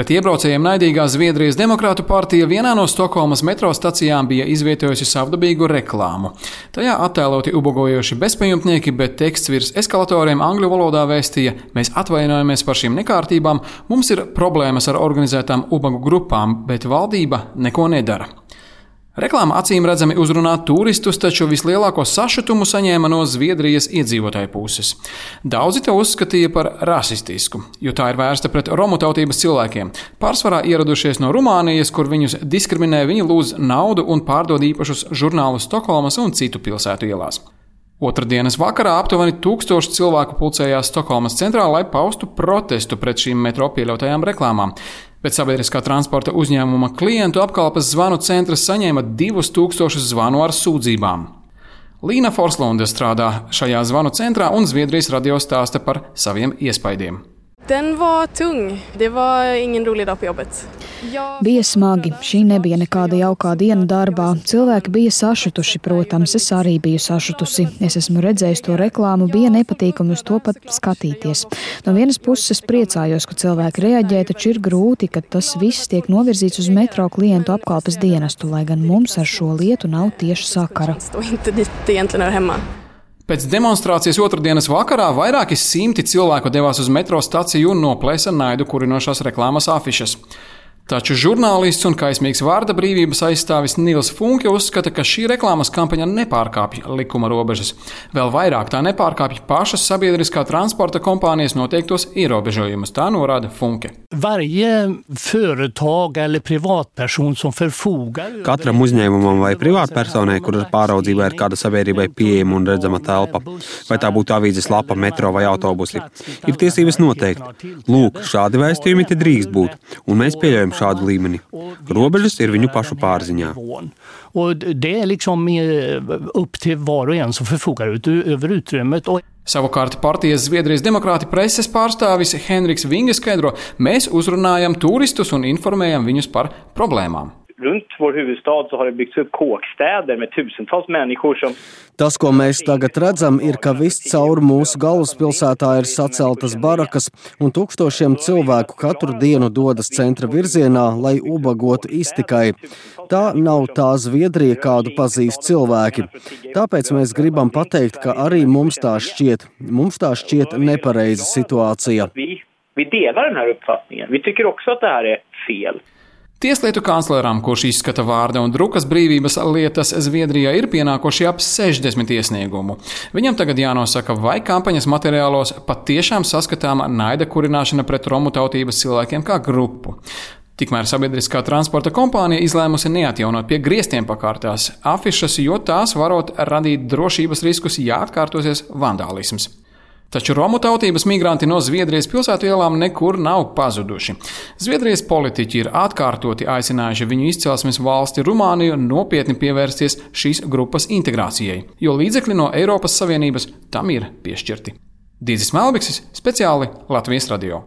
Pret iebraucējiem naidīgā Zviedrijas Demokrātu partija vienā no Stokholmas metro stacijām bija izvietojusi savdabīgu reklāmu. Tajā attēloti ubagojoši bezpajumtnieki, bet teksts virs eskalatoriem angļu valodā vēstīja: mēs atvainojamies par šīm nekārtībām, mums ir problēmas ar organizētām ubagu grupām, bet valdība neko nedara. Reklāma acīm redzami uzrunā turistus, taču vislielāko sašutumu saņēma no Zviedrijas iedzīvotāju puses. Daudzi to uzskatīja par rasistisku, jo tā ir vērsta pret romu tautības cilvēkiem. Pārsvarā ieradušies no Rumānijas, kur viņus diskriminē, viņi lūdz naudu un pārdod īpašus žurnālus Stokholmas un citu pilsētu ielās. Otrdienas vakarā aptuveni 1000 cilvēku pulcējās Stokholmas centrā, lai paustu protestu pret šīm metro pieļautajām reklāmām. Bet sabiedriskā transporta uzņēmuma klientu apkalpes zvanu centrs saņēma 2000 zvanu ar sūdzībām. Līna Forslunde strādā šajā zvanu centrā un Zviedrijas radio stāsta par saviem iespaidiem. Den var tung. Det var ingen rolig dag på jobbet. Bija smagi. Šī nebija nekāda jaukā diena darbā. Cilvēki bija sašutuši, protams, es arī biju sašutusi. Es esmu redzējis to reklāmu, bija nepatīkami uz to pat skatīties. No vienas puses es priecājos, ka cilvēki reaģē, taču ir grūti, ka tas viss tiek novirzīts uz metro klientu apkalpes dienestu, lai gan mums ar šo lietu nav tieši sakara. Pēc demonstrācijas otrdienas vakarā vairāki simti cilvēku devās uz metro staciju un noplēsa naidu kurinošās reklāmas afišas. Taču žurnālists un kaismīgs vārda brīvības aizstāvis Nils Funke uzskata, ka šī reklāmas kampaņa nepārkāpj likuma robežas. Vēl vairāk tā nepārkāpj pašas sabiedriskā transporta kompānijas noteiktos ierobežojumus, tā norāda Funke. Katram uzņēmumam vai privātpersonai, kuras pāraudzībā ir kāda sabiedrībai pieejama un redzama telpa, vai tā būtu avīzes lapa, metro vai autobusi, ir tiesības noteikt. Lūk, šādi vēstījumi te drīkst būt, un mēs pieļaujam šādu līmeni. Robežas ir viņu pašu pārziņā. Savukārt partijas Zviedrijas Demokrāti preses pārstāvis Henriks Vinge skaidro: mēs uzrunājam turistus un informējam viņus par problēmām. Runt vår huvudstad så har det byggts upp kåkstäder med tusentals människor som... Tas, ko mēs tagad redzam, ir, ka viscaur mūsu galvaspilsētā ir saceltas barakas un tūkstošiem cilvēku katru dienu dodas centra virzienā, lai ubagotu iztikai. Tā nav tā Zviedrija, kādu pazīst cilvēki. Tāpēc mēs gribam pateikt, ka arī mums tā šķiet. Mums tā šķiet nepareiza situācija. Vi delar den här uppfattningen. Vi tycker också att det här är fel. Tieslietu kancleram, kurš izskata vārda un drukas brīvības lietas Zviedrijā, ir pienākoši ap 60 iesniegumu. Viņam tagad jānosaka, vai kampaņas materiālos patiešām saskatāma naida kurināšana pret romu tautības cilvēkiem kā grupu. Tikmēr sabiedriskā transporta kompānija izlēmusi neatjaunot pie griestiem pakārtās afišas, jo tās varot radīt drošības riskus, ja atkārtosies vandālisms. Taču romu tautības migranti no Zviedrijas pilsētu ielām nekur nav pazuduši. Zviedrijas politiķi ir atkārtoti aicinājuši viņu izcelsmes valsti Rumāniju nopietni pievērsties šīs grupas integrācijai, jo līdzekļi no Eiropas Savienības tam ir piešķirti. Dīdzis Melbiksis, speciāli Latvijas radio.